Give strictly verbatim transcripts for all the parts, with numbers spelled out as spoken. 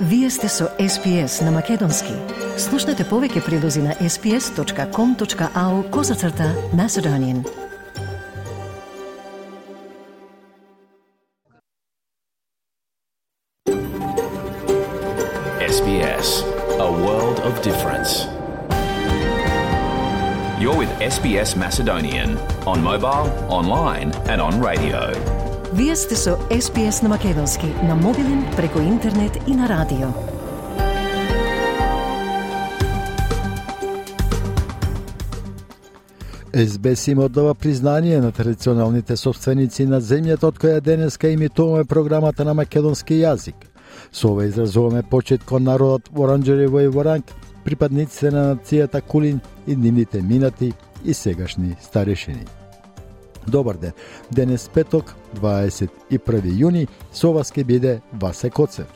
Вие сте со Ес Би Ес на Македонски. Слушнете повеќе прилози на ес би ес точка ком точка ау козацрта Macedonian. Ес Би Ес, a world of difference. You're with Ес Би Ес Macedonian on mobile, online and on radio. Вие сте со Ес Би Ес на Македонски, на мобилен, преку интернет и на радио. Ес Би Ес им оддава признание на традиционалните собственици на земјата од која денеска имитуваме програмата на македонски јазик. Со ова изразуваме почит кон народот во Оранџерево и Воранг, припадниците на нацијата Кулин и нивните минати и сегашни старешини. Добар ден. Денес петок, дваесет и први јуни, со вас ке биде Васе Коцев.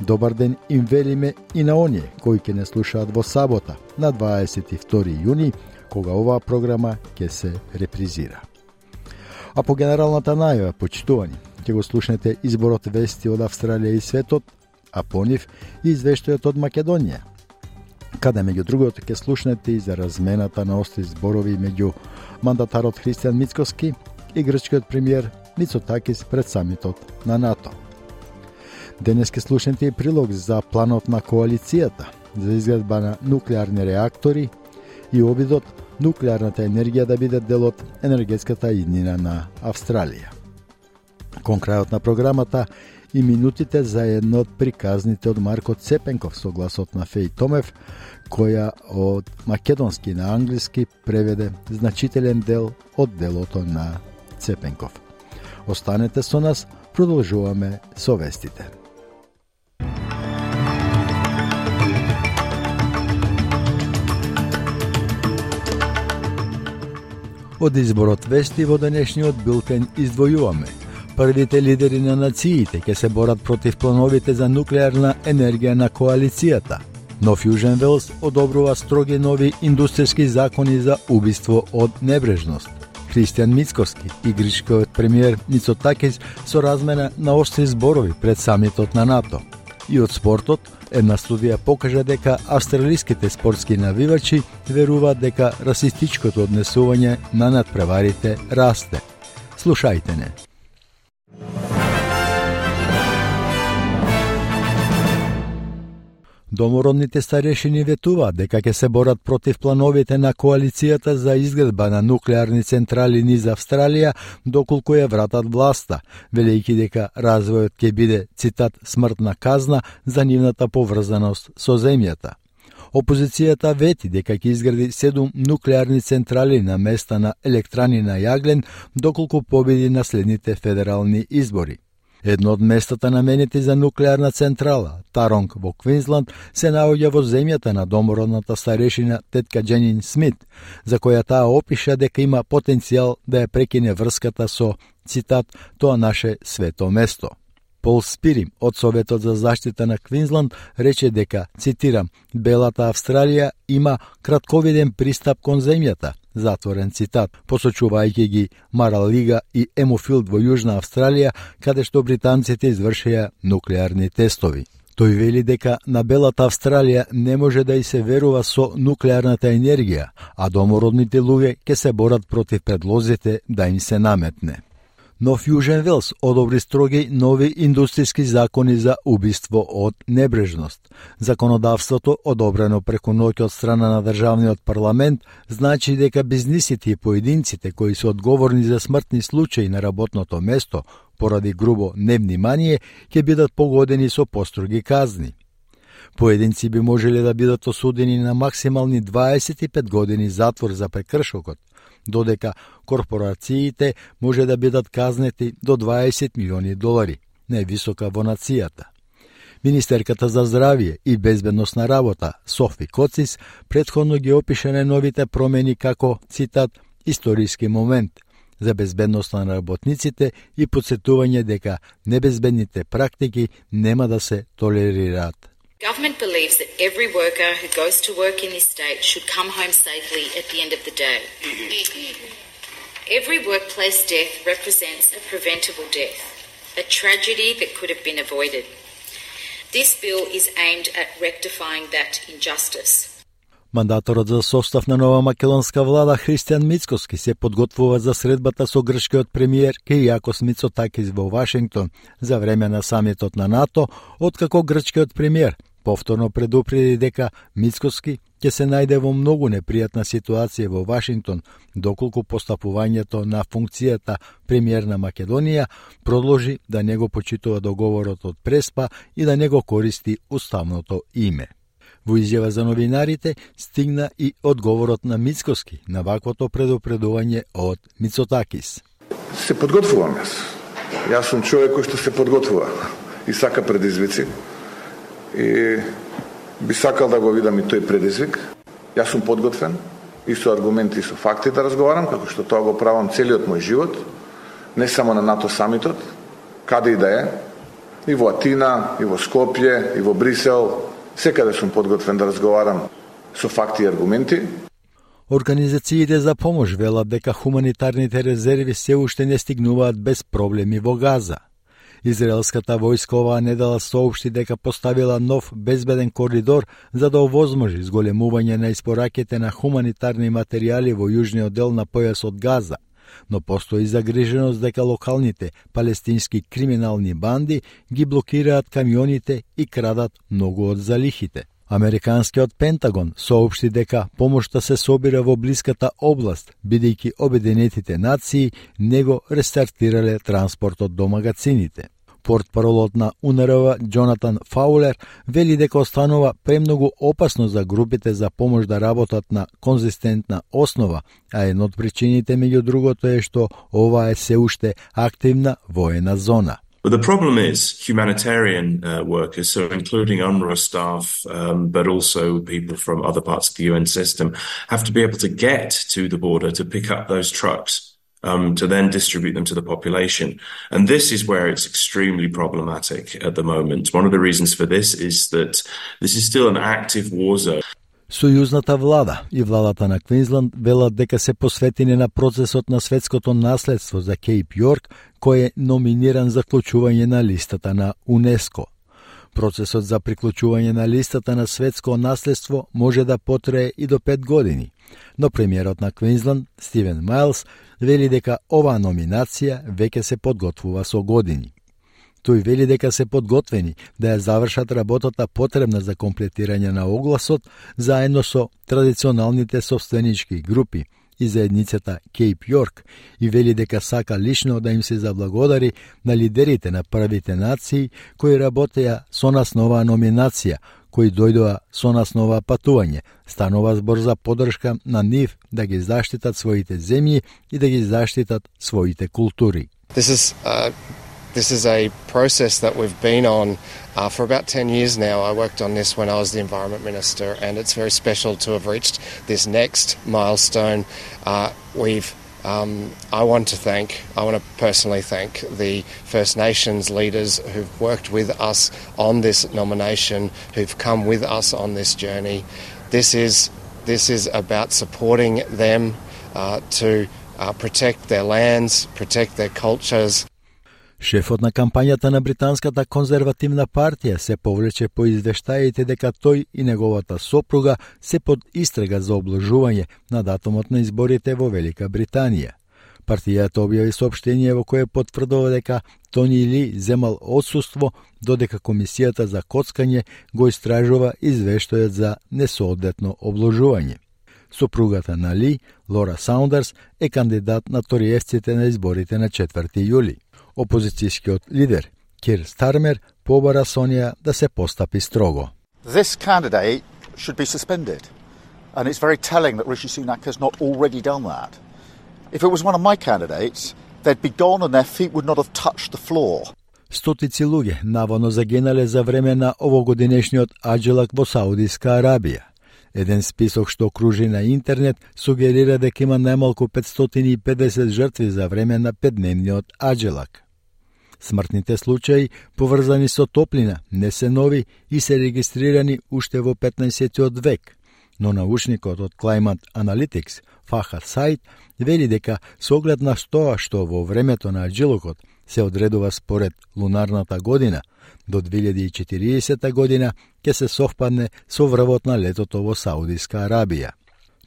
Добар ден им велиме и на оние кои ќе не слушаат во сабота, на дваесет и втори јуни, кога оваа програма ќе се репризира. А по генералната најава, почитувани, ќе го слушнете изборот вести од Австралија и светот, а по нив и извештајот од Македонија, каде меѓу другото ќе слушнете и за размената на остри зборови меѓу мандатарот Христијан Мицкоски и грчкиот премиер Мицотакис пред самитот на НАТО. Денес ќе слушнете и прилог за планот на коалицијата за изградба на нуклеарни реактори и обидот нуклеарната енергија да биде дел од енергетската иднина на Австралија. Кон крајот на програмата и минутите за едно од приказните од Марко Цепенков со гласот на Феј Томев, која од македонски на англиски преведе значителен дел од делото на Цепенков. Останете со нас, продолжуваме со вестите. Од изборот вести во денешниот билтен издвојуваме. Првите лидери на нациите ќе се борат против плановите за нуклеарна енергија на коалицијата. Нов Јужен Велс одобрува строги нови индустријски закони за убиство од небрежност. Христијан Мицкоски и грчкиот премиер Мицотакис со размена на остри зборови пред самитот на НАТО. И од спортот, една студија покажа дека австралиските спортски навивачи веруваат дека расистичкото однесување на надпреварите расте. Слушајте не. Домородните старешини ветуваат дека ќе се борат против плановите на коалицијата за изградба на нуклеарни централи низ Австралија доколку ја вратат власта, велејќи дека развојот ќе биде, цитат, смртна казна за нивната поврзаност со земјата. Опозицијата вети дека ќе изгради седум нуклеарни централи на места на електрани на јаглен доколку победи на следните федерални избори. Едно од местата наменети за нуклеарна централа, Таронг во Квинсланд, се наоѓа во земјата на домородната старешина тетка Дженин Смит, за која таа опиша дека има потенцијал да ја прекине врската со, цитат, тоа наше свето место. Пол Спирим од Советот за заштита на Квинсланд рече дека, цитирам, Белата Австралија има кратковиден пристап кон земјата, затворен цитат, посочувајќи ги Маралига и Емофилд во Јужна Австралија, каде што британците извршија нуклеарни тестови. Тој вели дека на Белата Австралија не може да и се верува со нуклеарната енергија, а домородните луѓе ќе се борат против предлозите да им се наметне. Нов Јужен Велс одобри строги нови индустријски закони за убиство од небрежност. Законодавството, одобрено преку ноќ од страна на државниот парламент, значи дека бизнисите и поединците кои се одговорни за смртни случаи на работното место поради грубо невнимание ќе бидат погодени со построги казни. Поединци би можеле да бидат осудени на максимални дваесет и пет години затвор за прекршокот, додека корпорациите може да бидат казнети до дваесет милиони долари, највисока во нацијата. Министерката за здравје и безбедност на работа Софи Коцис претходно ги опиша најновите промени како, цитат, историски момент за безбедност на работниците и потсетување дека небезбедните практики нема да се толерираат. Government believes that every worker who goes to work in this state should come home safely at the end of the day. Every workplace death represents a preventable death, a tragedy that could have been avoided. This bill is aimed at rectifying that injustice. Мандаторот за состав на нова македонска влада Христијан Мицкоски се подготвува за средбата со грчкиот премиер Кириакос Мицотакис во Вашингтон за време на самитот на НАТО, откако грчкиот премиер повторно предупреди дека Мицкоски ќе се најде во многу непријатна ситуација во Вашингтон, доколку постапувањето на функцијата премиер на Македонија продолжи да не го почитува договорот од Преспа и да не го користи уставното име. Во изјава за новинарите стигна и одговорот на Мицкоски на ваквото предупредување од Мицотакис. Се подготвувам јас. Јас сум човек кој што се подготвува и сака предизвици. И би сакал да го видам и тој предизвик. Јас сум подготвен и со аргументи и со факти да разговарам, како што тоа го правам целиот мој живот, не само на НАТО самитот, каде и да е, и во Атина, и во Скопје, и во Брисел. Секаде сум подготвен да разговарам со факти и аргументи. Организациите за помош велат дека хуманитарните резерви се уште не стигнуваат без проблеми во Газа. Израелската војска оваа недела соопшти дека поставила нов безбеден коридор за да овозможи зголемување на испораките на хуманитарни материјали во јужниот дел на појасот Газа, но постои загриженост дека локалните палестински криминални банди ги блокираат камионите и крадат многу од залихите. Американскиот Пентагон соопшти дека помошта се собира во блиската област, бидејќи Обединетите нации не го рестартирале транспортот до магазините. Портпаролот на УНРВ Џонатан Фаулер вели дека останува премногу опасно за групите за помош да работат на конзистентна основа, а една од причините меѓу другото е што ова е се уште активна воена зона. But the problem is humanitarian uh, workers, so including UNRWA staff, um, but also people from other parts of the U N system, have to be able to get to the border to pick up those trucks, um, to then distribute them to the population. And this is where it's extremely problematic at the moment. One of the reasons for this is that this is still an active war zone. Сојузната влада и владата на Квинсланд велат дека се посветени на процесот на светското наследство за Кейп Јорк, кој е номиниран за вклучување на листата на УНЕСКО. Процесот за приклучување на листата на светско наследство може да потрае и до пет години, но премиерот на Квинсланд, Стивен Мајлс, вели дека оваа номинација веќе се подготвува со години. Тој вели дека се подготвени да ја завршат работата потребна за комплетирање на огласот заедно со традиционалните собственички групи и заедницата Кейп Јорк и вели дека сака лично да им се заблагодари на лидерите на првите нации кои работеа со нас на оваа номинација, кои дојдоа со нас на оваа патување. Станува збор за поддршка на нив да ги заштитат своите земји и да ги заштитат своите култури. This is uh... This is a process that we've been on uh, for about ten years now. I worked on this when I was the Environment Minister, and it's very special to have reached this next milestone. Uh, we've, um, I want to thank, I want to personally thank the First Nations leaders who've worked with us on this nomination, who've come with us on this journey. This is, this is about supporting them uh, to uh, protect their lands, protect their cultures. Шефот на кампањата на британската конзервативна партија се повлече по извештаите дека тој и неговата сопруга се под истрага за обложување на датумот на изборите во Велика Британија. Партијата објави соопштение во кое потврдува дека Тони Ли земал отсуство, додека Комисијата за коцкање го истражува извештајот за несоодветно обложување. Сопругата на Ли, Лора Саундерс, е кандидат на ториевците на изборите на четврти јули. Опозицијскиот лидер Кир Стармер побара Сонија да се постапи строго. This candidate should be suspended. And it's very telling that Rishi Sunak has not already done that. If it was one of my candidates, they'd be gone and their feet would not have touched the floor. Стотици луѓе наводно загинале за време на овогодинешниот аџилак во Саудиска Арабија. Еден список што кружи на интернет сугерира дека има најмалку петстотини и педесет жртви за време на петдневниот аџилак. Смртните случаи, поврзани со топлина, не се нови и се регистрирани уште во петнаесеттиот век, но научникот од Climate Analytics, Фахад Саид, вели дека со оглед на тоа што во времето на аџилокот се одредува според лунарната година. До две илјади и четириесета година ќе се совпадне со врвот на летото во Саудиска Арабија.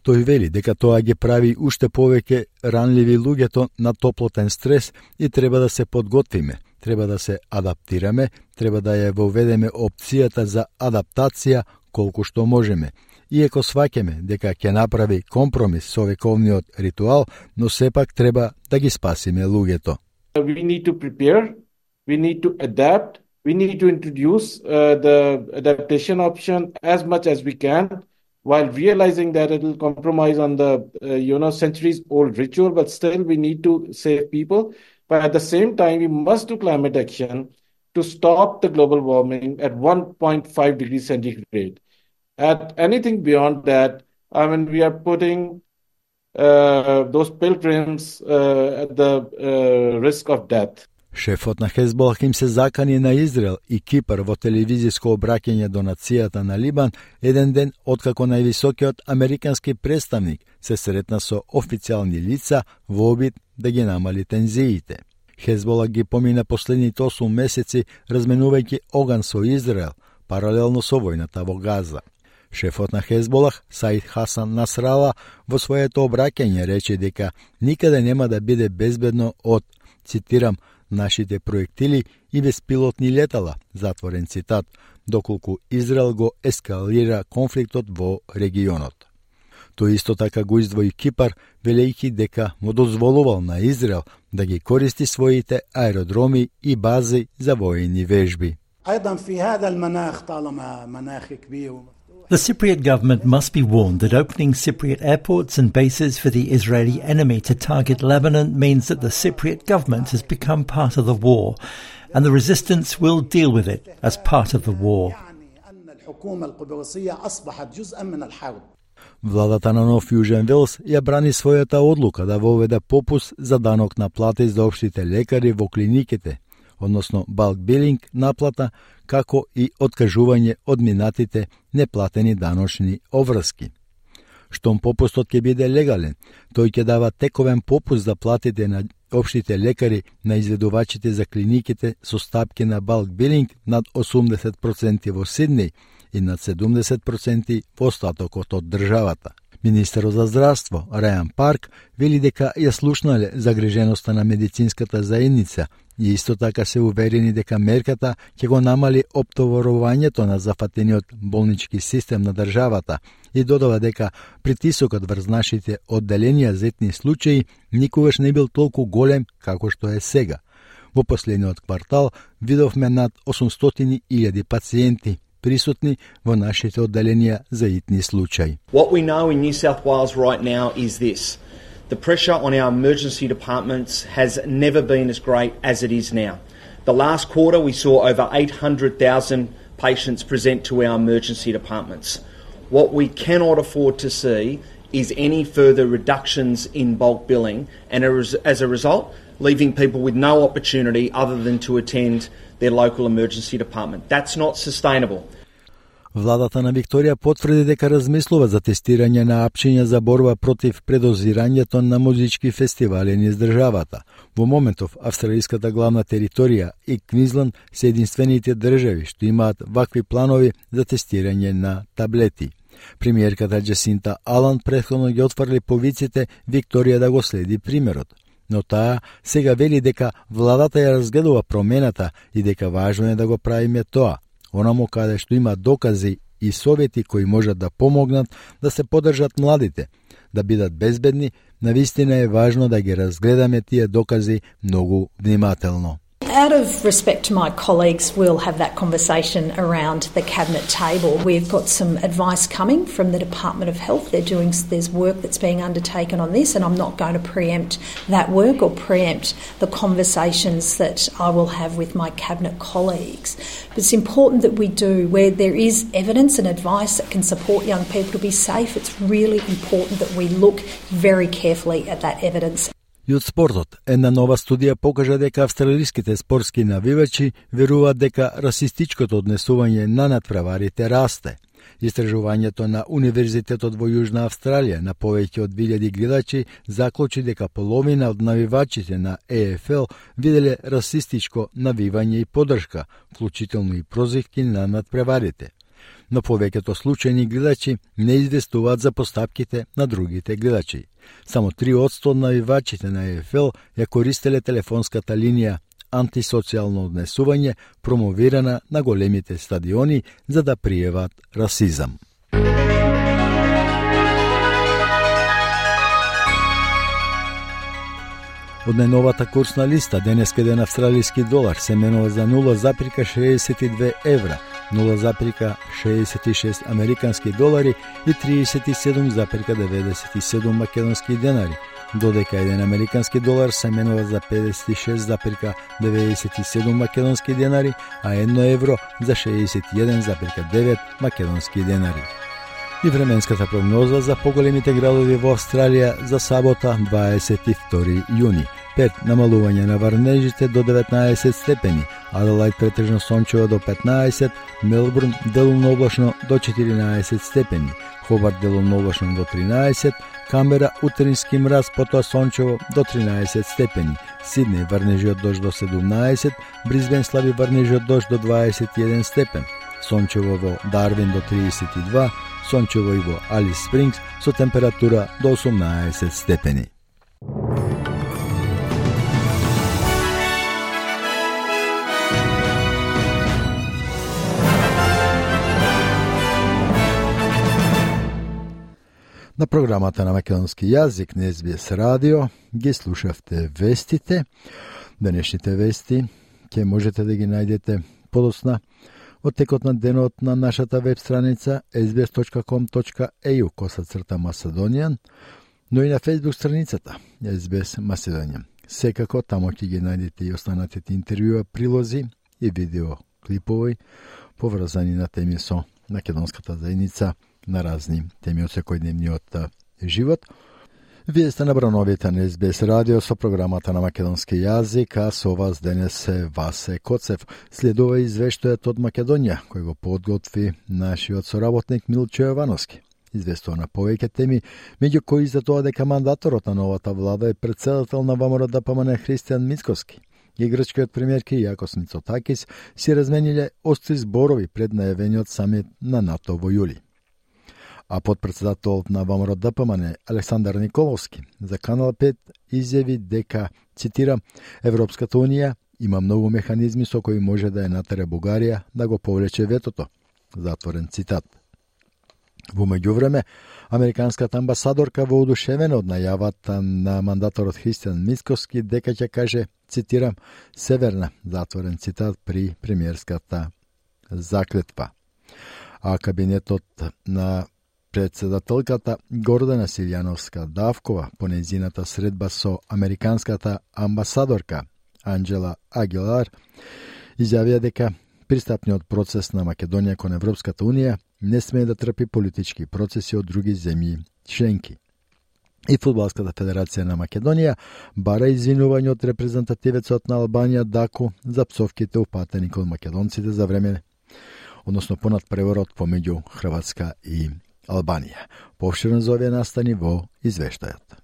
Тој вели дека тоа ги прави уште повеќе ранливи луѓето на топлотен стрес и треба да се подготвиме, треба да се адаптираме, треба да ја воведеме опцијата за адаптација колку што можеме. Иако сваќаме дека ќе направи компромис со вековниот ритуал, но сепак треба да ги спасиме луѓето. We need to prepare, we need to adapt, we need to introduce uh, the adaptation option as much as we can, while realizing that it will compromise on the uh, you know centuries old ritual, but still we need to save people. But at the same time, we must do climate action to stop the global warming at one point five degrees centigrade. At anything beyond that, I mean, we are putting uh, those pilgrims uh, at the uh, risk of death. Шефот на Хезболах им се закани на Израел и Кипар во телевизиско обраќање до нацијата на Либан еден ден откако највисокиот американски представник се сретна со официјални лица во обид да ги намали тензиите. Хезболах ги помина последните осум месеци разменувајќи оган со Израел, паралелно со војната во Газа. Шефот на Хезболах, Саид Хасан Насрала, во своето обраќање рече дека никаде нема да биде безбедно од, цитирам, нашите проектили и беспилотни летала, затворен цитат, доколку Израел го ескалира конфликтот во регионот. Тој исто така го издвои Кипар, велејќи дека му дозволувал на Израел да ги користи своите аеродроми и бази за воени вежби. The Cypriot government must be warned that opening Cypriot airports and bases for the Israeli enemy to target Lebanon means that the Cypriot government has become part of the war, and the resistance will deal with it as part of the war. Владата на Нов Јужен Велс ја брани својата одлука да воведе попуст за данок на плати за општите лекари во клиниките, односно bulk billing наплата, како и откажување од минатите неплатени даночни обврски. Штом попустот ќе биде легален, тој ќе дава тековен попуст за платите на општите лекари на изведувачите за клиниките со стапки на bulk billing над осумдесет проценти во Сиднеј и над седумдесет проценти во остатокот од државата. Министерот за здравство Рајан Парк вели дека ја слушнале загриженоста на медицинската заедница и исто така се уверени дека мерката ќе го намали оптоварувањето на зафатениот болнички систем на државата и додава дека притисокот врз нашите одделенија за етни случаи никогаш не бил толку голем како што е сега. Во последниот квартал видовме над осумстотини илјади пациенти присутни во нашите одделенија за итни случаи. What we know in New South Wales right now is this. The pressure on our emergency departments has never been as great as it is now. The last quarter we saw over eight hundred thousand patients present to our emergency departments. What we cannot afford to see is any further reductions in bulk billing and as a result leaving people with no opportunity other than to attend their local emergency department. That's not sustainable. Владата на Викторија потврди дека размислува за тестирање на апчиња за борба против предозирањето на музички фестивали низ државата. Во моментов, австралиската главна територија и Квинсленд се единствените држави што имаат вакви планови за тестирање на таблети. Премиерката Джасинта Алан претходно ги отврли повиците Викторија да го следи примерот. Но таа сега вели дека владата ја разгледува промената и дека важно е да го правиме тоа, онамо каде што има докази и совети кои можат да помогнат да се поддржат младите, да бидат безбедни. Навистина е важно да ги разгледаме тие докази многу внимателно. Out of respect to my colleagues, we'll have that conversation around the cabinet table. We've got some advice coming from the Department of Health. They're doing, there's work that's being undertaken on this, and I'm not going to preempt that work or preempt the conversations that I will have with my cabinet colleagues. But it's important that we do, where there is evidence and advice that can support young people to be safe, it's really important that we look very carefully at that evidence. И од спортот, една нова студија покажа дека австралиските спортски навивачи веруваат дека расистичкото однесување на надпреварите расте. Истражувањето на Универзитетот во Јужна Австралија на повеќе од две илјади гледачи заклучи дека половина од навивачите на Е Еф Ел виделе расистичко навивање и поддршка, вклучително и прозивки на надпреварите. Но повеќето случајни гледачи не известуваат за постапките на другите гледачи. Само три одсто од навивачите на Е Еф Ел ја користеле телефонската линија антисоцијално однесување, промовирана на големите стадиони за да пријават расизам. Од најновата курсна листа, денеска еден австралиски долар се менува за нула запирка шеесет и две евра, нула запирка шеесет и шест американски долари и триесет и седум запирка деветдесет и седум македонски денари, додека еден американски долар се менува за педесет и шест запирка деветдесет и седум македонски денари, а едно евро за шеесет и еден запирка девет македонски денари. И временската прогноза за поголемите градови во Австралија за сабота дваесет и втори јуни. пет намалување на врнежите до деветнаесет степени, Аделајд претежно сончево до петнаесет, Мелбурн делумно облачно до четиринаесет степени, Хобарт делумно облачно до тринаесет, Камбера утрински мраз, потоа сончево до тринаесет степени, Сиднеј врнежи од дожд до седумнаесет, Бризбен слаби врнежи од дожд до дваесет и еден степен, сончево во Дарвин до триесет и два, сончево и во Алис Спрингс со температура до осумнаесет степени. На програмата на македонски јазик на Ес Би Ес радио ги слушавте вестите. Денешните вести ќе можете да ги најдете подоцна од текот на денот на нашата веб страница ес би ес точка ком точка е ю косацрта Macedonian, но и на фејсбук страницата Ес Би Ес Macedonian. Секако тамо ќе ги најдете и останатите интервјуа, прилози и видео клипови поврзани на теми со македонската заедница на разни теми од секојдневниот живот. Вие сте на брановите на Ес Би Ес радио со програмата на македонски јазик, а со вас денес е Васе Коцев. Следува извештајот од Македонија, кој го подготви нашиот соработник Милчо Јовановски. Известува на повеќе теми, меѓу кои за тоа дека мандаторот на новата влада е председател на ВМРО Д П М Н Христијан Мицкоски и грчкиот премиер Киријакос Мицотакис си размениле остри зборови пред најавениот самит на НАТО во јули. А подпредседателот на ВМРО Д П М Н Александар Николовски за Канал пет изјави дека, цитирам, Европската унија има многу механизми со кои може да ја натере Бугарија да го повлече ветото. Затворен цитат. Во меѓувреме, американската амбасадорка воодушевена од најавата на мандаторот Христијан Мицкоски дека ќе каже, цитирам, северна, затворен цитат, при премиерската заклетва. А кабинетот на председателката Гордана Силјановска Давкова по нејзината средба со американската амбасадорка Анджела Агилар изјавија дека пристапниот процес на Македонија кон Европската унија не смее да трпи политички процеси од други земји членки. И Фудбалската федерација на Македонија бара извинување од репрезентативецот на Албанија Даку за псовките упатени кон македонците за време, односно понад преворот помеѓу Хрватска и Албанија. Повширно за овие настани во извештајот.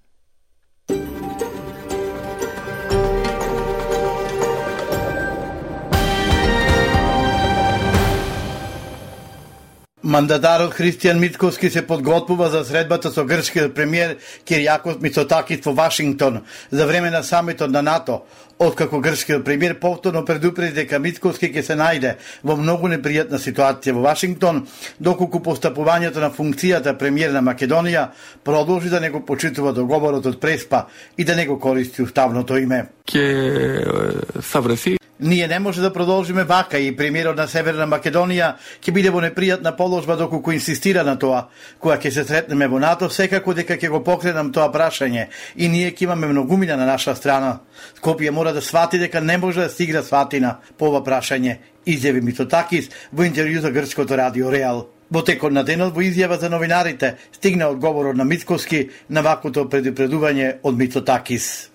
Мандатарот Христијан Мицкоски се подготвува за средбата со грчкиот премиер Киријакос Мицотакис во Вашингтон за време на самитот на НАТО, откако грчкиот премиер повторно предупреди дека Мицкоски ќе се најде во многу непријатна ситуација во Вашингтон, доколку постапувањето на функцијата премиер на Македонија продолжи да не го почитува договорот од Преспа и да не го користи уставното име. Ќе савреси Ние не може да продолжиме вака и премиерот на Северна Македонија ќе биде во непријатна положба доколку инсистира на тоа. Кога ќе се сретнеме во НАТО, секако дека ќе го покренам тоа прашање и ние ќе имаме многумина на наша страна. Скопје мора да свати дека не може да стигне сватина по ова прашање, изјави Мицотакис во интервју за грчкото радио Реал. Во текот на денот во изјава за новинарите стигна одговорот на Мицкоски на вакото предупредување од Мицотакис.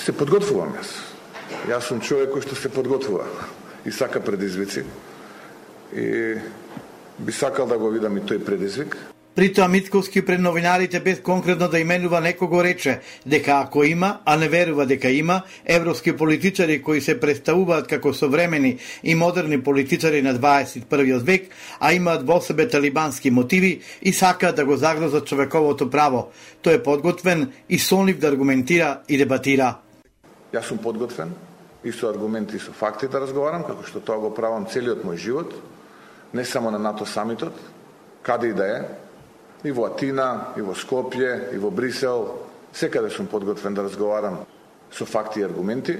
Се подготвувам јас. Јас сум човек кој што се подготвува и сака предизвици. И би сакал да го видам и тој предизвик. При тоа Мицкоски пред новинарите без конкретно да именува некого рече дека ако има, а не верува дека има, европски политичари кои се представуваат како современи и модерни политичари на дваесет и првиот век, а имаат во себе талибански мотиви и сакаат да го загрозат човековото право. Тој е подготвен и сонлив да аргументира и дебатира. Јас сум подготвен и со аргументи и со факти да разговарам, како што тоа го правам целиот мој живот, не само на НАТО самитот, каде и да е, и во Атина, и во Скопје, и во Брисел, секаде сум подготвен да разговарам со факти и аргументи.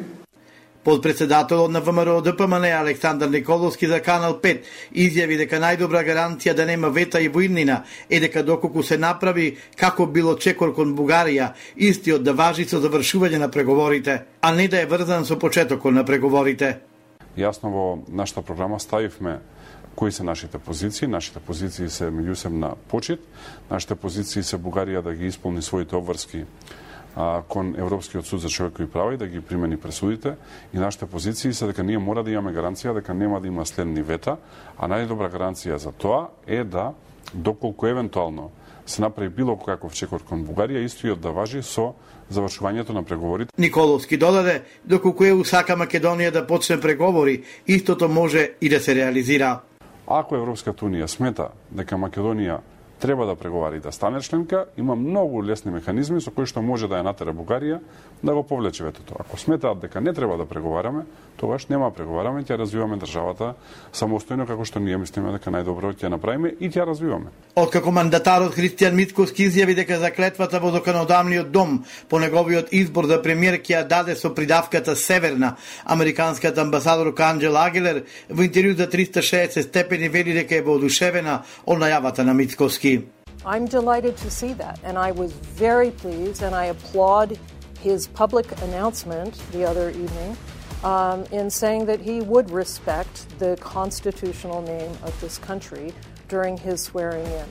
Подпредседателот на ВМРО Д П М Н Александар Николовски за Канал пет изјави дека најдобра гаранција да нема вета и војнина е дека доколку се направи како било чекор кон Бугарија, истиот да важи со завршување на преговорите, а не да е врзан со почетокот на преговорите. Јасно во нашата програма ставивме кои се нашите позиции. Нашите позиции се меѓусебна почит. Нашите позиции се Бугарија да ги исполни своите обврски а, кон Европскиот суд за човекови права и да ги примени пресудите. И нашите позиции се дека ние мора да имаме гаранција дека нема да има следни вета, а најдобра гаранција за тоа е да, доколку евентуално се направи било каков чекор кон Бугарија, истојот да важи со завршувањето на преговорите. Николовски додаде, доколку е сака Македонија да почне преговори, истото може и да се реализира. Ако Европската Унија смета дека Македонија треба да преговари да стане членка, има многу лесни механизми со кои што може да ја натера Бугарија да го повлече ветото. Ако сметаат дека не треба да преговараме, тогаш нема преговараме, ќе развиваме државата самостојно како што ние мислиме дека најдобро ќе направиме и ќе развиваме. Откако мандатарот Христијан Мицкоски изјави дека заклетвата во законодавниот дом по неговиот избор за премиер ќе ја даде со придавката Северна, американската амбасадорка Анџела Агилер во интервју за триста и шеесет степени вели дека е воодушевена од најавата на Мицкоски. I'm delighted to see that, and I was very pleased, and I applaud his public announcement the other evening um, in saying that he would respect the constitutional name of this country during his swearing in.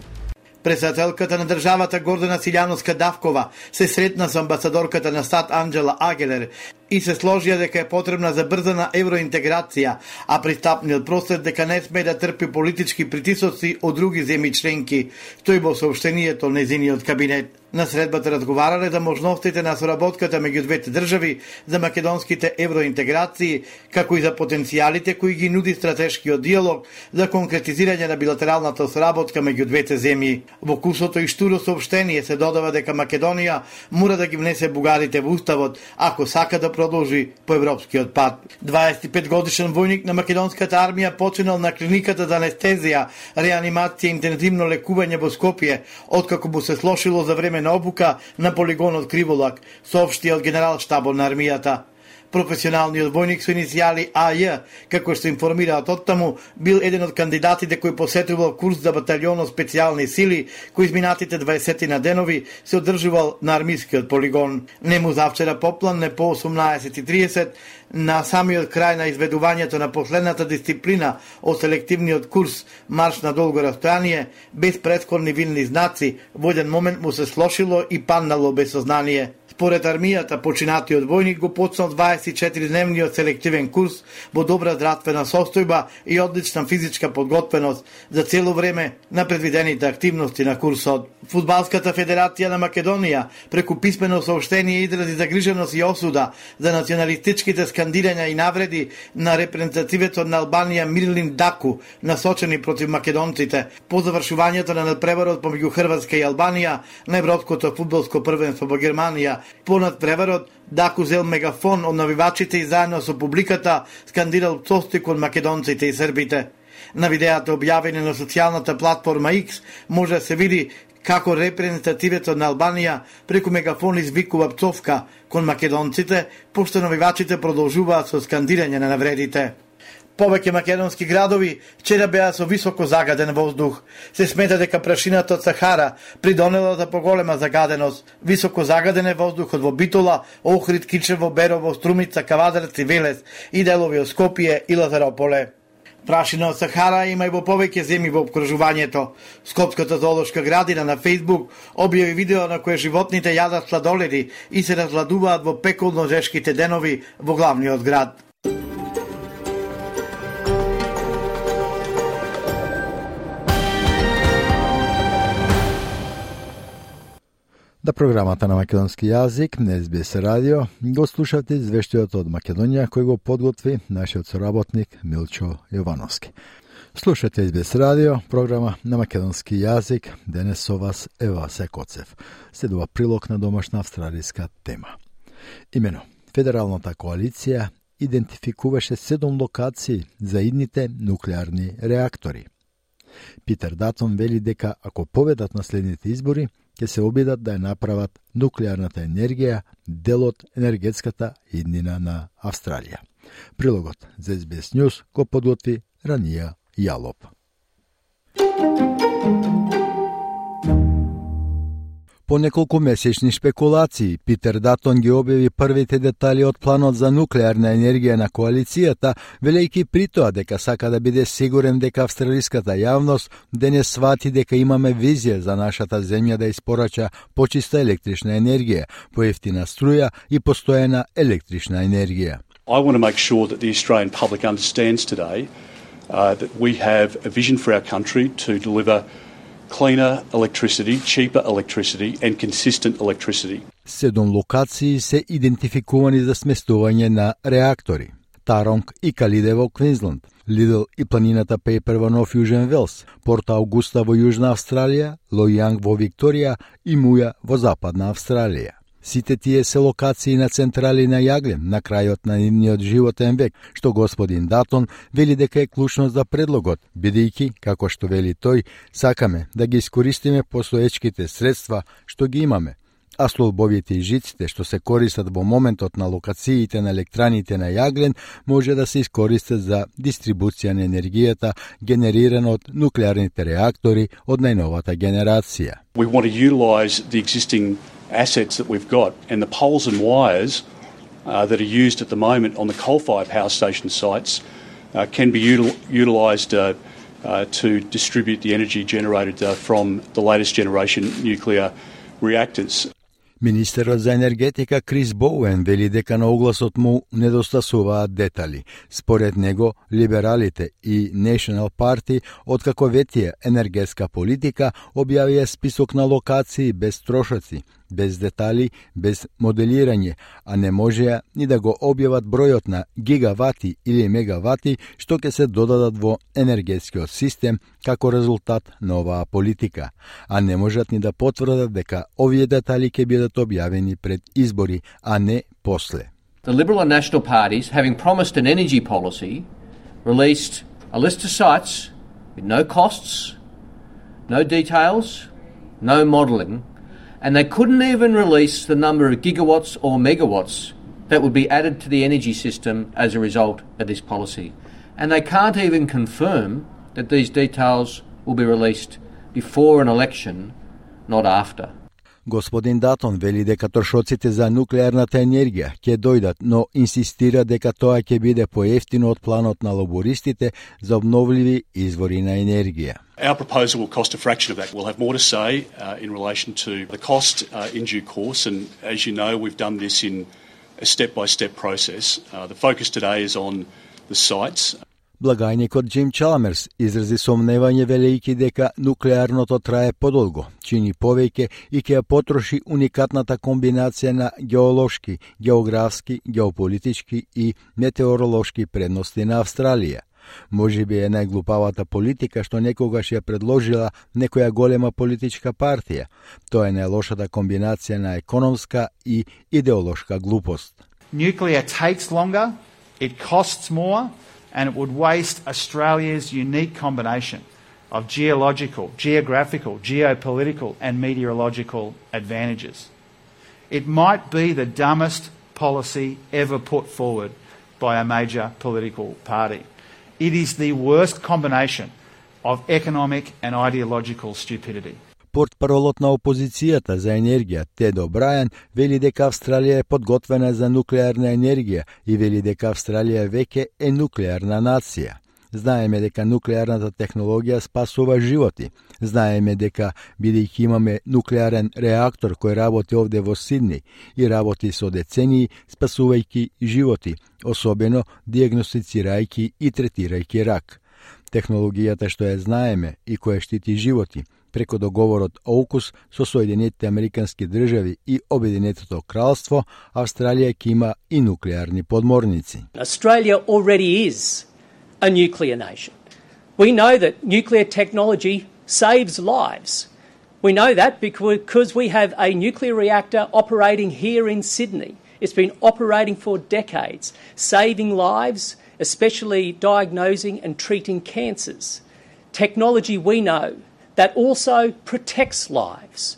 Председателката на државата Гордана Силјановска-Давкова се сретна со амбасадорката на САД Анџела Агелер и се сложија дека е потребна забрзана евроинтеграција, а пристапниот просвет дека не сме да трпи политички притисоци од други земји членки, тој во соопштението на незиниот кабинет. На средбата разговарале за можностите на соработката меѓу двете држави, за македонските евроинтеграции, како и за потенцијалите кои ги нуди стратешкиот диалог за конкретизирање на билатералната соработка меѓу двете земји. Во кусото и штуро соопштение се додава дека Македонија мора да ги внесе бугарите во уставот ако сака да продолжи по европскиот пат. дваесет и пет годишен војник на македонската армија починал на клиниката за анестезија, реанимација и интензивно лекување во Скопје, откако му се слошило за време на обука на полигонот Криволак, соопшти од генерал штабот на армијата. Професионалниот војник со иницијали А Ј, како што информираат оттаму, бил еден од кандидатите кој посетувал курс за баталјонот специјални сили, кој изминатите дваесет на денови се одржувал на армискиот полигон. Нему завчера попладне по осумнаесет и тридесет, на самиот крај на изведувањето на последната дисциплина од селективниот курс марш на долго растојание, без претходни вилни знаци, во еден момент му се слошило и паднало без сознание. Според армијата, починатиот војник го почнал дваесет и четиридневниот селективен курс во добра здравствена состојба и одлична физичка подготвеност за цело време на предвидените активности на курсот. Фудбалската федерација на Македонија преку писмено соопштение изрази загриженост и осуда за националистичките скандирања и навреди на репрезентативецот на Албанија Мирлин Даку, насочени против македонците по завршувањето на надпреварот помеѓу Хрватска и Албанија на европското фудбалско првенство во Германија. Понад преварот, Даку зел мегафон од навивачите и заедно со публиката скандирал пцовство кон македонците и србите. На видеото објавени на социјалната платформа X може да се види како репрезентативецот на Албанија преку мегафон извикува пцовка кон македонците, пошто навивачите продолжуваат со скандирање на навредите. Повеќе македонски градови вчера беа со високо загаден воздух. Се смета дека прашината од Сахара придонела за поголема загаденост. Високо загаден е воздухот во Битола, Охрид, Кичево, Берово, Струмица, Кавадарц и Велес и делови од Скопје и Лазарополе. Прашина од Сахара има и во повеќе земји во обкружувањето. Скопската зоолошка градина на Фејсбук објави видео на кое животните јадат сладоледи и се разладуваат во пеколно жешките денови во главниот град. Да програмата на македонски јазик на Ес Би Ес радио го слушате извештајот од Македонија кој го подготви нашиот соработник Милчо Јовановски. Слушате Ес Би Ес радио, програма на македонски јазик. Денес со вас Ева Секоцев. Следува прилог на домашна австралиска тема. Имено, Федералната коалиција идентификуваше седум локации за идните нуклеарни реактори. Питер Датон вели дека ако победат на следните избори, ќе се обидат да ја направат нуклеарната енергија дел од енергетската иднина на Австралија. Прилогот за Ес Би Ес News го подготви Ранија Јалоп. По неколку месечни шпекулации, Питер Датон ги објави првите детали од планот за нуклеарна енергија на коалицијата, велејќи при тоа дека сака да биде сигурен дека австралиската јавност денес свати дека имаме визија за нашата земја да испорача почиста електрична енергија, поевтина струја и постојана електрична енергија. I want to make sure that the Australian public understands today uh, that we have a vision for our country to deliver cleaner electricity, cheaper electricity and consistent electricity. Седум локации се идентификувани за сместување на реактори. Таронг и Калиде во Квинсленд, Лидл и планината Пейпер во Нов Јужен Велс, Порт Аугуста во Јужна Австралија, Лојанг во Викторија и Муја во Западна Австралија. Сите тие се локации на централи на јаглен на крајот на нивниот животен век, што господин Датон вели дека е клучно за предлогот, бидејќи, како што вели тој, сакаме да ги искористиме постоечките средства што ги имаме, а столбовите и жиците што се користат во моментот на локациите на електраните на јаглен може да се искористат за дистрибуција на енергијата генерирана од нуклеарните реактори од најновата генерација. We want to utilise the existing assets that we've got and the poles and wires uh, that are used at the moment on the coal-fired power station sites uh, can be util- utilised uh, uh, to distribute the energy generated uh, from the latest generation nuclear reactors. Министерот за енергетика Крис Боуен вели дека на огласот му недостасуваат детали. Според него, либералите и National Party, откако ветија енергетска политика, објавија список на локации без трошоци, без детали, без моделирање, а не можеа ни да го објават бројот на гигавати или мегавати што ќе се додадат во енергетскиот систем како резултат на оваа политика, а не можат ни да потврдат дека овие детали ќе бидат објавени пред избори, а не после. The Liberal and National parties, having promised an energy policy, released a list of sites with no costs, no details, no modelling, and they couldn't even release the number of gigawatts or megawatts that would be added to the energy system as a result of this policy. And they can't even confirm that these details will be released before an election, not after. Господин Датон вели дека трошоците за нуклеарната енергија ќе дојдат, но инсистира дека тоа ќе биде поевтино од планот на лабористите за обновливи извори на енергија. Our proposal will cost a fraction of that. We'll have more to say uh, in relation to the cost uh, in due course, and as you know, we've done this in a step-by-step process. Uh, the focus today is on the sites. Благајникот Джим Чаламерс изрази сомневање велејќи дека нуклеарното трае подолго, чини повеќе и ќе ја потроши уникатната комбинација на геолошки, географски, геополитички и метеоролошки предности на Австралија. Можеби е најглупавата политика што некогаш ја предложила некоја голема политичка партија. Тоа е најлошата комбинација на економска и идеолошка глупост. Nuclear takes longer, it costs more, and it would waste Australia's unique combination of geological, geographical, geopolitical and meteorological advantages. It might be the dumbest policy ever put forward by a major political party. It is the worst combination of economic and ideological stupidity. Портпаролот на опозицијата за енергија Тед О'Брајан вели дека Австралија е подготвена за нуклеарна енергија и вели дека Австралија веќе е нуклеарна нација. Знаеме дека нуклеарната технологија спасува животи. Знаеме дека, бидејќи имаме нуклеарен реактор кој работи овде во Сидни и работи со децении, спасувајќи животи, особено диагностицирајќи и третирајќи рак. Технологијата што ја знаеме и која штити животи, преку договорот ОУКУС со Соединетите Американски држави и Обединетото кралство, Австралија ќе има и нуклеарни подморници. Australia already is a nuclear nation. We know that nuclear technology saves lives. We know that because we have a nuclear reactor operating here in Sydney. It's been operating for decades, saving lives, especially diagnosing and treating cancers. Technology we know that also protects lives.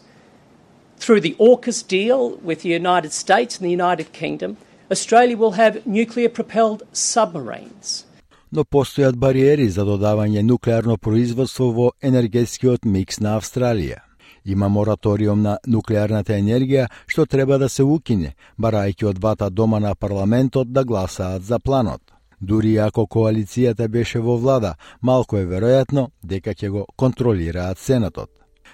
Through the AUKUS deal with the United States and the United Kingdom, Australia will have nuclear-propelled submarines. Но постојат бариери за додавање нуклеарно производство во енергетскиот микс на Австралија. Има мораториум на нуклеарната енергија што треба да се укине, барајќи од двата дома на парламентот да гласаат за планот. Дури ако коалицијата беше во влада, малку е веројатно дека ќе го контролираат Сенатот.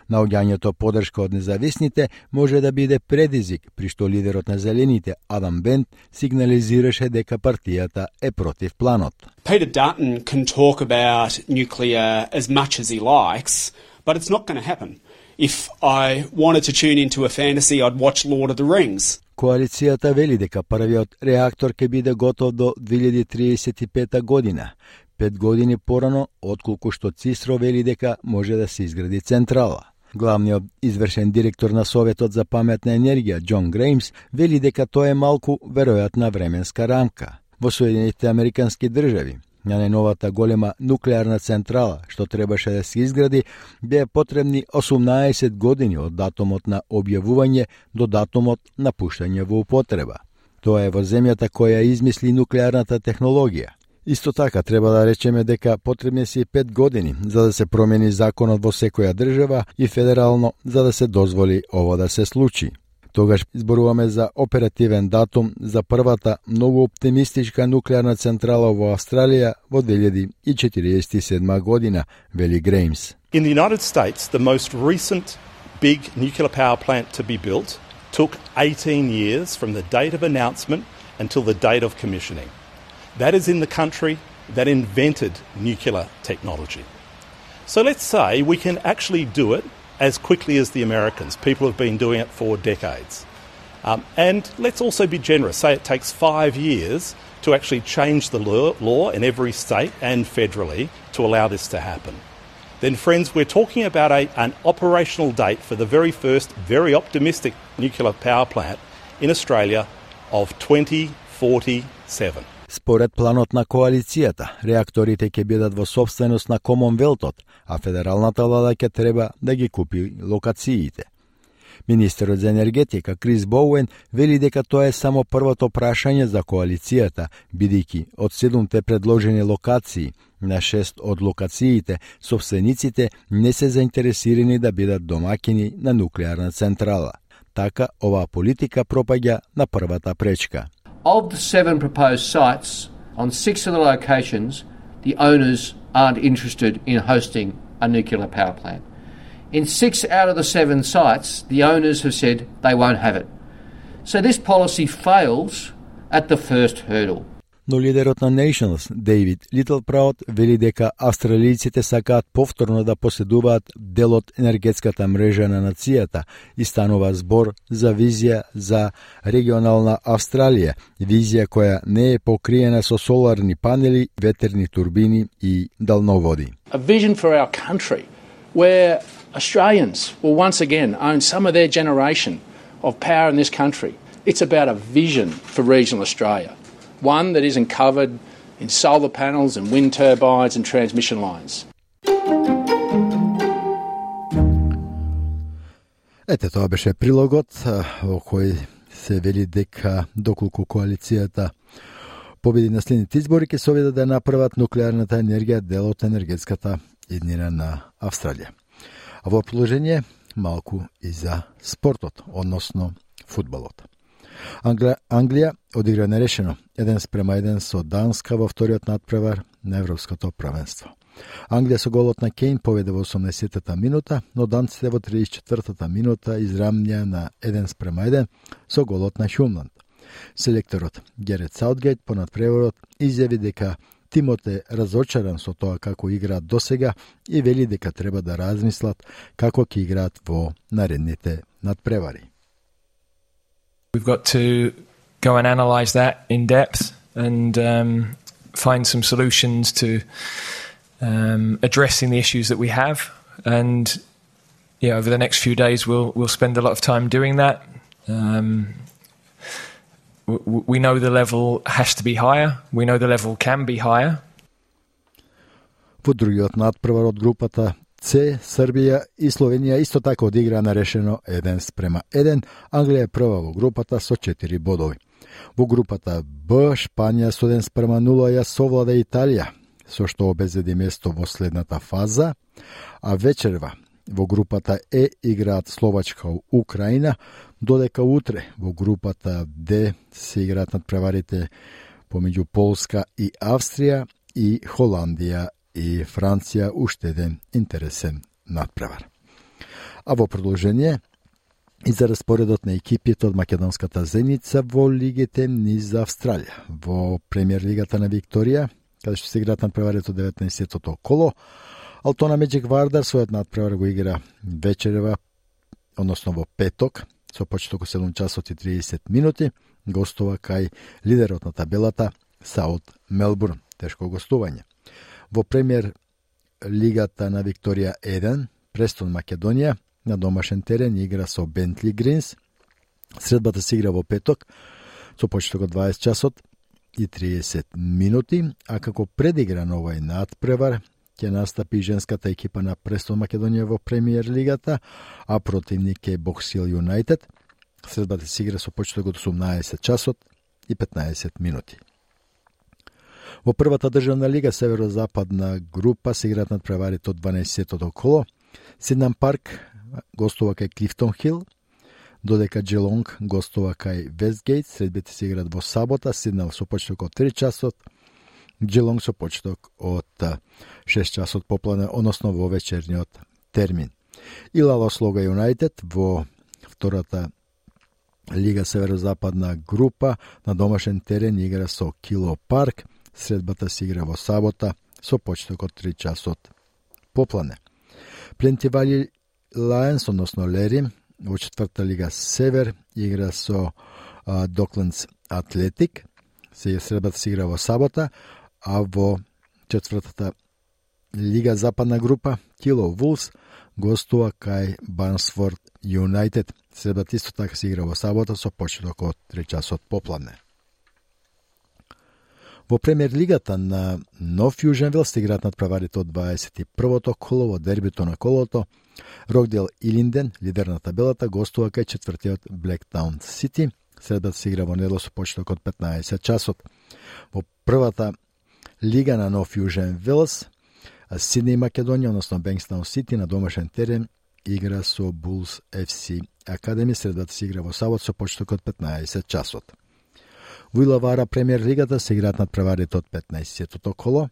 Наоѓањето подршка од независните може да биде предизвик, при што лидерот на Зелените, Адам Бент, сигнализираше дека партијата е против планот. Peter Dutton can talk about nuclear as much as he likes, but it's not going to happen. If I wanted to tune into a fantasy, I'd watch Lord of the Rings. Коалицијата вели дека првиот реактор ќе биде готов до две илјади триесет и пета година, пет години порано отколку што Цисро вели дека може да се изгради централа. Главниот извршен директор на Советот за паметна енергија, Џон Греймс, вели дека тоа е малку веројатна временска рамка. Во Соединетите Американски држави, на најновата голема нуклеарна централа, што требаше да се изгради, беа потребни осумнаесет години од датумот на објавување до датумот на пуштање во употреба. Тоа е во земјата која измисли нуклеарната технологија. Исто така треба да речеме дека потребни се и пет години за да се промени законот во секоја држава и федерално за да се дозволи ова да се случи. Тогаш зборуваме за оперативен датум за првата многу оптимистичка нуклеарна централа во Австралија во две илјади четириесет и седма година, вели Греймс. In the United States, the most recent big nuclear power plant to be built took eighteen years from the date of announcement until the date of commissioning. That is in the country that invented nuclear technology. So let's say we can actually do it as quickly as the Americans. People have been doing it for decades. Um, and let's also be generous. Say it takes five years to actually change the law, law in every state and federally to allow this to happen. Then, friends, we're talking about a, an operational date for the very first, very optimistic nuclear power plant in Australia of twenty forty-seven. Според планот на коалицијата, реакторите ќе бидат во собственост на Комонвелтот, а федералната влада ќе треба да ги купи локациите. Министерот за енергетика Крис Боуен вели дека тоа е само првото прашање за коалицијата, бидејќи од седумте предложени локации, на шест од локациите, собствениците не се заинтересирани да бидат домаќини на нуклеарна централа. Така, оваа политика пропаѓа на првата пречка. Of the seven proposed sites, on six of the locations, the owners aren't interested in hosting a nuclear power plant. In six out of the seven sites, the owners have said they won't have it. So this policy fails at the first hurdle. Но лидерот на Nationals, Дейвид Литлпраут, вели дека австралијците сакаат повторно да поседуваат дел од енергетската мрежа на нацијата и станува збор за визија за регионална Австралија, визија која не е покриена со соларни панели, ветерни турбини и далноводи. A vision for our country where Australians will once again own some of their generation of power in this country. It's about a vision for regional Australia. One that isn't covered in solar panels and wind turbines and transmission lines. Ете, тоа беше прилогот во кој се вели дека доколку коалицијата победи на следните избори ќе се обидат да направат нуклеарната енергија дел од енергетската иднина на Австралија. А во продолжение малку и за спортот, односно фудбалот. Англија, Англија одигра нерешено еден спрема еден со Данска во вториот надпревар на Европското првенство. Англија со голот на Кейн поведе во осумнаесеттата минута, но данците во триесет и четвртата минута израмња на еден спрема еден со голот на Хјумланд. Селекторот Герет Саутгейт по надпреварот изјави дека Тимот е разочаран со тоа како играат досега и вели дека треба да размислат како ќе играат во наредните надпревари. We've got to go and analyze that in depth and um, find some solutions to um, addressing the issues that we have. And yeah, over the next few days, we'll we'll spend a lot of time doing that. Um, w- we know the level has to be higher. We know the level can be higher. Во другиот надпревар од групата С, Србија и Словенија исто така одигра нарешено еден спрема еден. Англија е прва во групата со четири бодови. Во групата Б, Шпанија со еден спрема нула ја совлада Италија, со што обезбеди место во следната фаза, а вечерва во групата Е играат Словачка и Украина, додека утре во групата Д се играат надпреварите помеѓу Полска и Австрија и Холандија и Франција, уште еден интересен надпревар. А во продолжение и за распоредот на екипите од македонската Зеница во лигите низ Австралија. Во премиер лигата на Викторија, каде што се играат надпреварите од деветнаесеттото коло, Алтона Меджик Вардар својот надпревар го игра вечерва, односно во петок, со почеток од седум часот и триесет минути, гостува кај лидерот на табелата Саут Мелбурн, тешко гостување. Во премиер лигата на Викторија еден, Престон Македонија на домашен терен игра со Бентли Гринс. Средбата се игра во петок, со почеток од дваесет часот и триесет минути, а како предигра на овој надпревар ќе настапи женската екипа на Престон Македонија во премиер лигата, а противник е Боксил Юнайтед. Средбата се игра со почеток од осумнаесет часот и петнаесет минути. Во првата државна лига северозападна група се играат надпреварите од дванаесеттото коло. Сиднам Парк гостува кај Клифтон Хил, додека Джелонг гостува кај Вестгейт. Средбите се играат во сабота, Сиднам со почеток од три часот, Джелонг со почеток од шест часот попладне, односно во вечерниот термин. И Лалослога Юнайтед во втората лига северозападна група на домашен терен игра со Кило Парк. Средбата се игра во сабота со почеток од три часот попладне. Плентивали Лајнс, односно Лери, во четврта лига Север игра со Доклендс Атлетик. Средбата се игра во сабота, а во четвртата лига Западна група Кило Вулс гостува кај Барнсфорд Юнайтед. Средбата исто така се игра во сабота со почеток од три часот попладне. Во премиер лигата на Нов Јуженвил се играат надпреварите од дваесет и првото коло во дербито на колото. Рокдел Илинден, лидер на табелата, гостува кај четвртиот Блектаун Сити. Средбата се игра во недело со почеток од петнаесет часот. Во првата лига на Нов Јуженвилс, Сиднеј Македонија, односно Бенкстаун Сити на домашен терен игра со Булс еф си Академи. Средбата се игра во сабот со почеток од петнаесет часот. Во Илавара премиер лигата се играат надпреварите од петнаесеттото коло.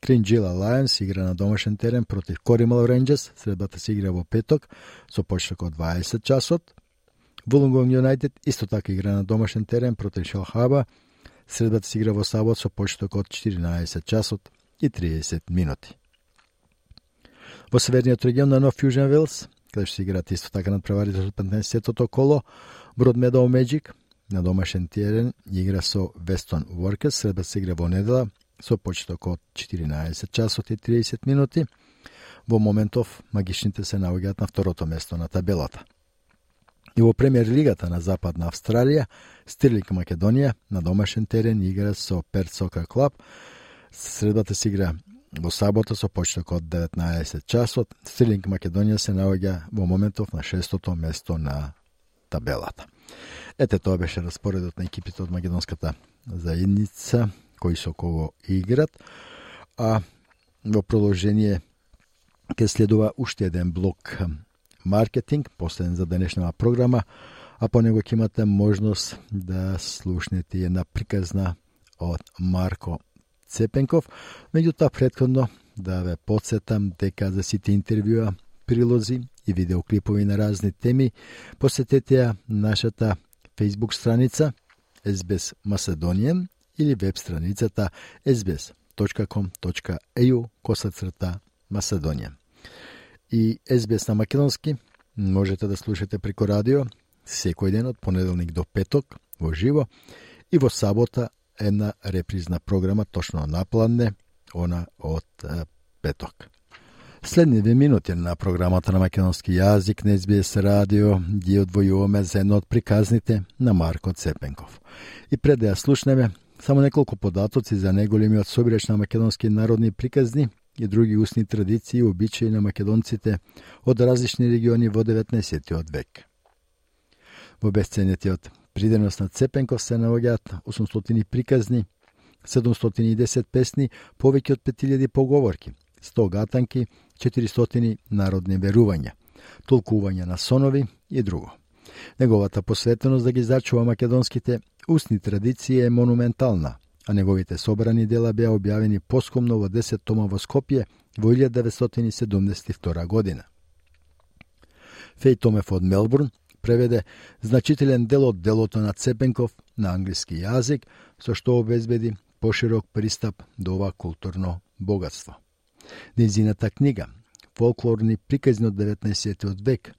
Кринџила Лајонс игра на домашен терен против Коримал Рейнџерс. Средбата се игра во петок со почеток од дваесет часот. Вулонгонг Юнайтед исто така игра на домашен терен против Шелхаба. Средбата се игра во сабот со почеток од четиринаесет часот и триесет минути. Во северниот регион на Нов Јуженвилс, каде се играат исто така надпреварите од петнаесеттото коло, Брод Медоу Меджик на домашен терен игра со Вестон Воркерс. Средбата се игра во недела со почеток од четиринаесет часот и триесет минути. Во моментов магичните се наоѓаат на второто место на табелата. И во премиер лигата на Западна Австралија, Стирлинг Македонија на домашен терен игра со Перт Сокер Клаб. Средбата се игра во сабота со почеток од деветнаесет часот. Стирлинг Македонија се наоѓа во моментов на шестото место на табелата. Ете, тоа беше распоредот на екипите од македонската заедница, кои со кого играт. А во продолжение ќе следува уште еден блок маркетинг, последен за денешната програма, а по него ќе имате можност да слушнете една приказна од Марко Цепенков. Меѓутоа, претходно да ве подсетам дека за сите интервјуа, прилози и видеоклипови на разни теми, посетете ја нашата Facebook страница ес би ес Macedonian или веб страницата ес би ес точка ком точка и ю косацрта Macedonija. И Ес Би Ес на македонски можете да слушате преко радио секој ден од понеделник до петок во живо и во сабота една репризна програма точно напладне, она од петок. Следни две минути на програмата на македонски јазик на Ес Би Ес радио ги одвојуваме за едно од приказните на Марко Цепенков. И пред да ја слушнеме, само неколку податоци за неголемиот собирач на македонски народни приказни и други устни традиции и обичаи на македонците од различни региони во деветнаесеттиот век. Во бесценетиот приденос на Цепенков се наоѓаат осумстотини приказни, седумстотини и десет песни, повеќе од пет илјади поговорки, сто гатанки, четиристотини народни верувања, толкувања на сонови и друго. Неговата посветеност да ги зачува македонските устни традиции е монументална, а неговите собрани дела беа објавени поскомно во десет тома во Скопје во илјада деветстотини седумдесет и втора година. Феј Томев од Мелбурн преведе значителен дел од делото на Цепенков на англиски јазик, со што обезбеди поширок пристап до ова културно богатство. Нејзината книга Фолклорни приказни од деветнаесеттиот век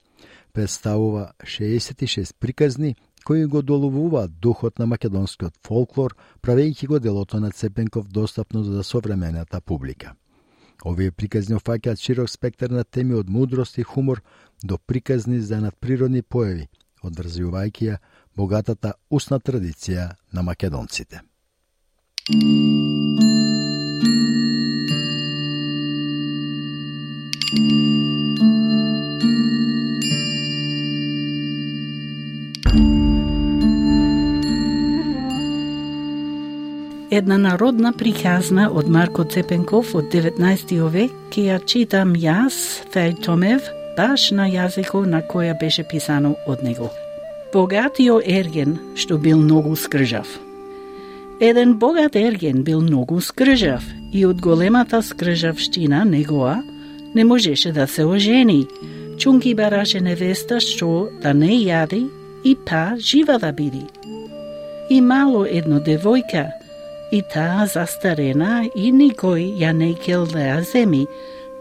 представува шеесет и шест приказни кои го доловуваат духот на македонскиот фолклор, правејќи го делото на Цепенков достапно за современата публика. Овие приказни офаќаат широк спектар на теми од мудрост и хумор до приказни за надприродни појави, одврзувајќи ја богатата устна традиција на македонците. Една народна приказна од Марко Цепенков од деветнаесеттиот век, ке ја читам јас, Феј Томев, баш на јазикот на која беше писано од него. Богатиот ерген, што бил многу скржав. Еден богат ерген бил многу скржав и од големата скржавштина негоа не можеше да се ожени. Чунки бараше невеста што да не јади и па жива да биди. И мало едно девојка, и таа застарена и никој ја не кел да ја земи,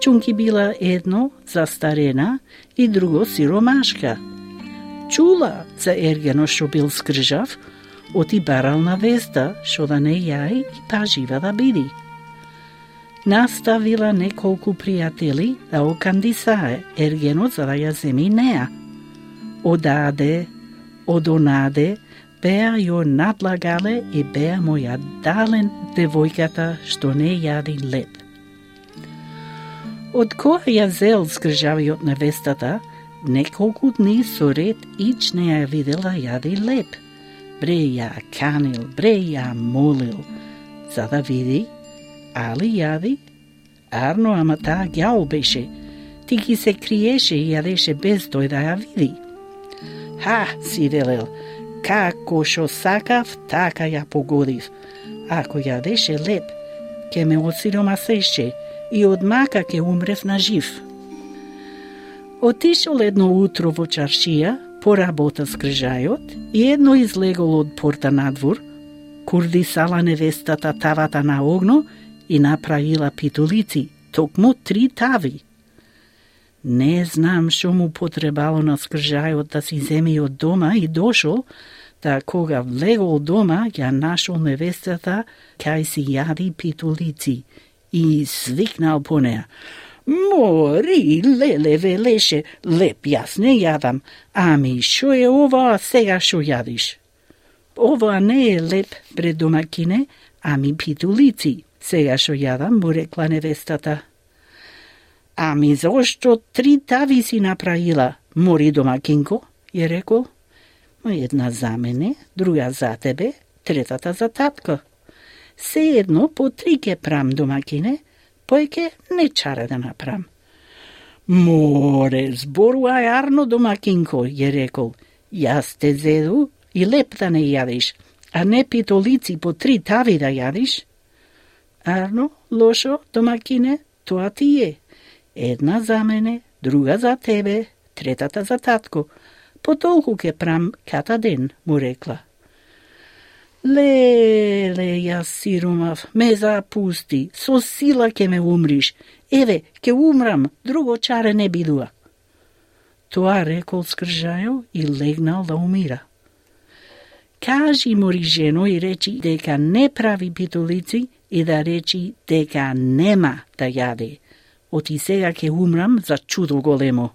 чунки била едно застарена и друго сиромашка. Чула за ергено што бил скржав, оти барал на веста што да не јај и па жива да биди. Наставила неколку пријатели да окандисае ергенот за да ја земи неа. Одаде, одонаде, беа ја надлагале и беа му ја дален девојката што не јади леп. Од која ја зел скржавиот невестата, неколку дни со ред ич не ја видела јади леп. Бре ја канил, бре ја молил, за да види, али јади, арно, ама таа ѓао беше, ти ги се криеше и јадеше без тој да ја види. Ха, си велел, како шо сакав, така ја погодив. Ако јадеше леп, ке ме осиромасеше и од мака ке умрев на жив. Отишол едно утро во чаршија, поработа скржајот и едно излегол од порта надвор, курдисала невестата тавата на огно и направила питулици, токму три тави. Не знам шо му потребало на скржајот да си земи од дома и дошол, та кога влегол дома, ја нашол невестата кај си јади питулици и свикнал по неа. Мори, леле, велеше, леп, јас не јадам, ами шо е ова сега шо јадиш? Ова не е леп, пред домакине, ами питулици, сега шо јадам, му рекла невестата. Ами зошто три тави си направила, мори домакинко, ја рекол. Една за мене, друга за тебе, третата за татко. Се едно по три ке прам домакине, појке не чара да направам. Море, зборувај арно домакинко, ја рекол. Јас те зеду и леп да не јадиш, а не питолици по три тави да јадиш. Арно, лошо, домакине, тоа ти е. Една за мене, друга за тебе, третата за татко. По толку ке прам ката ден, му рекла. Леле, јас сиромав, ме запусти, со сила ке ме умриш. Еве, ке умрам, друго чаре не бидува. Тоа рекол скржајо и легнал да умира. Кажи мори жено и речи дека не прави питолици и да речи дека нема да јаде. Оти сега ке умрам за чудо големо.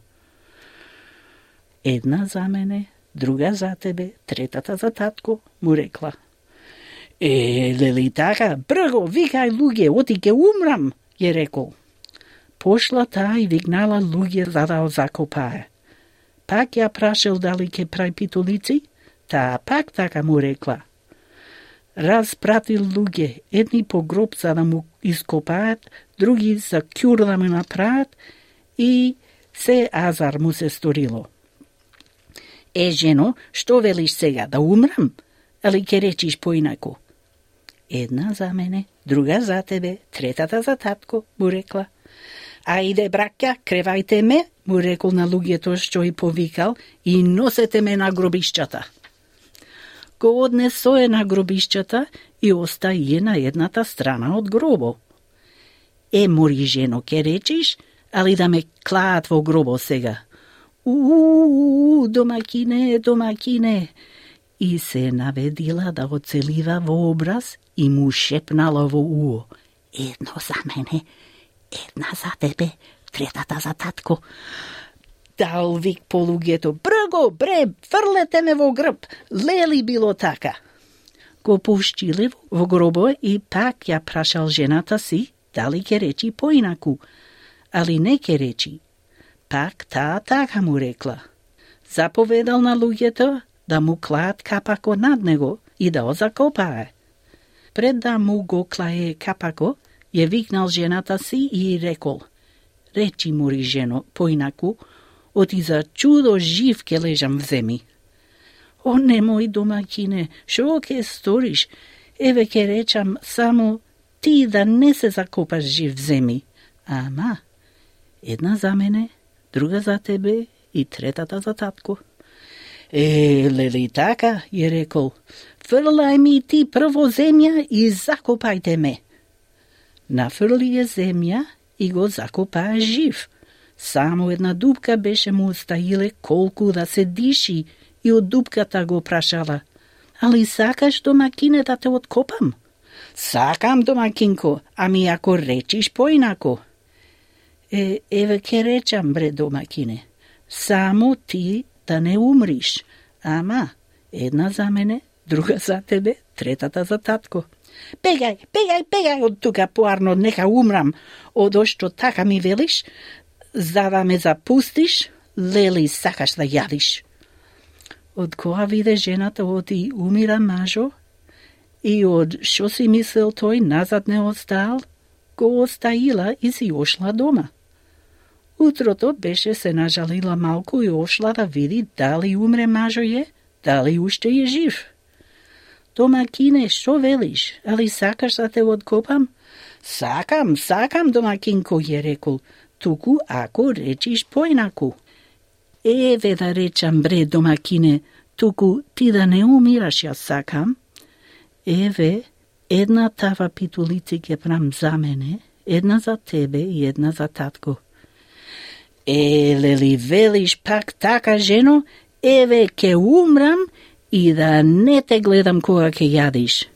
Една за мене, друга за тебе, третата за татко, му рекла. Е, лели така, брго, викај луѓе, оти ке умрам, ја рекол. Пошла таа и викнала луѓе за да закопае. Пак ја прашал дали ке прави питолици, таа пак така му рекла. Распратил луѓе, едни по гроб за да му ископаат, други за кјур да му направат и се азар му се сторило. Е, жено, што велиш сега, да умрам? Али ке речиш поинако? Една за мене, друга за тебе, третата за татко, му рекла. Ајде, браќа, кревајте ме, му рекол на луѓето што и повикал, и носете ме на гробишчата. Го однесоe на гробишчата и остаje на едната страна од гробо. Е, мори жено, ке речиш, али да ме клаат во гробо сега. Уу, домакине, домакине. И се наведила да оцелива во образ и му шепнала во уо. Едно за мене, една за тебе, третата за татко. Дал вик по луѓето, брго, бре, фрлете ме во грб, лели било така. Го пуштиле во гробо и пак ја прашал жената си, дали ке речи поинаку, али не ке речи. Пак таа така му рекла. Заповедал на луѓето да му клаат капако над него и да го закопае. Пред да му го клае капако, ја викнал жената си и рекол, речи мори жено, поинаку, оти за чудо жив ке лежам в земи. О, немој домакине, шо ке сториш? Еве ке речам само ти да не се закопаш жив в земи. Ама, една за мене, друга за тебе и третата за татко. Е, лели така, ја рекол, фрлај ми ти прво земја и закопајте ме. Нафрли ја земја и го закопаа жив. Само една дупка беше му остаиле колку да се диши и од дупката го прашала. Али сакаш домакине да те откопам? Сакам, домакинко, ами ако речиш поинако. Е, еве ке речам, бре, домакине. Само ти да не умриш. Ама, една за мене, друга за тебе, третата за татко. Бегај, бегај, бегај од тука поарно, нека умрам. Одо што така ми велиш, за да ме запустиш, лели сакаш да јадиш. Од кога виде жената оти умира мажо, и од шо си мислел тој назад не остал, го остаила и си ошла дома. Утрото беше се нажалила малку и ошла да види дали умре мажо е, дали уште е жив. Домакине, што велиш? Али сакаш да те откопам? Сакам, сакам, домакинко, ја рекол, туку ако речиш поинаку. Еве да речам, бре, домакине, туку ти да не умираш, јас сакам. Еве, една тава питулици ке прам за мене, една за тебе и една за татко. Е, лели велиш пак така, жено, еве ке умрам и да не те гледам кога ке јадиш.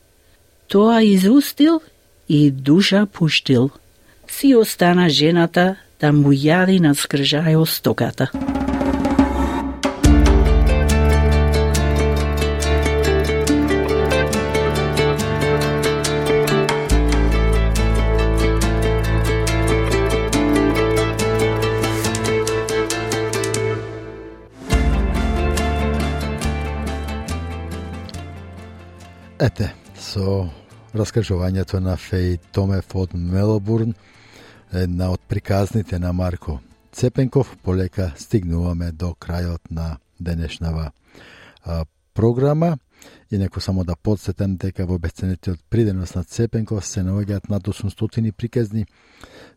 Тоа изустил и душа пуштил. Си остана жената да му јади на скржајо стоката. Ете, со раскажувањето на Феј Томев од Мелбурн, една од приказните на Марко Цепенков, полека стигнуваме до крајот на денешнава а, програма. И неко само да подсетам дека во бесценетиот приденос на Цепенков се наоѓаат над осумстотини приказни,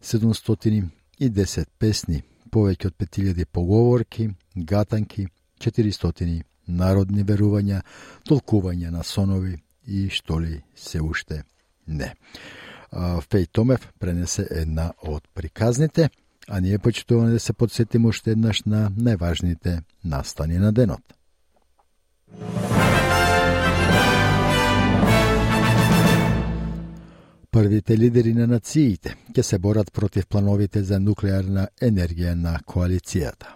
седумстотини и десет песни, повеќе од пет илјади поговорки, гатанки, четиристотини народни верувања, толкувања на сонови и што ли се уште не. Феј Томев пренесе една од приказните, а ние почитуваме да се подсетиме уште еднаш на најважните настани на денот. Првите лидери на нациите ќе се борат против плановите за нуклеарна енергија на коалицијата.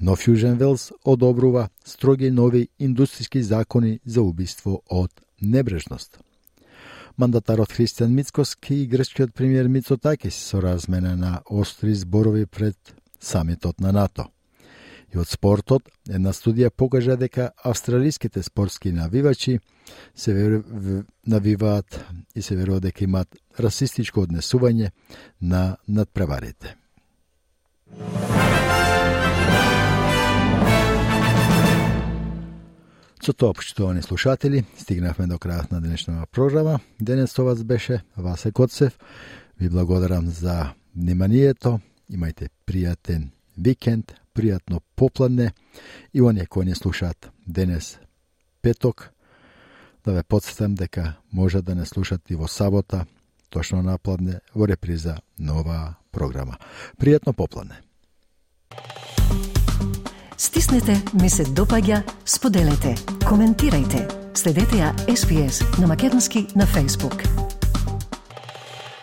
Нов Јужен Велс одобрува строги нови индустријски закони за убиство од небрежност. Мандатарот Христијан Мицкоски и грчкиот премиер Мицотакис со размена на остри зборови пред самитот на НАТО. И од спортот, една студија покажа дека австралиските спортски навивачи се веру, навиваат и се верува дека имаат расистичко однесување на надпреварите. Со тоа, почитувани слушатели, стигнавме до крајот на денешната програма. Денес со вас беше Васе Коцев. Ви благодарам за вниманието. Имајте пријатен викенд, пријатно попладне и оние кои не слушаат денес петок, да ве подсетам дека може да не слушат и во сабота, точно напладне, во реприза на оваа програма. Пријатно попладне. Стиснете, ми се допаѓа, споделете, коментирајте. Следете ја Ес Би Ес на македонски на Facebook.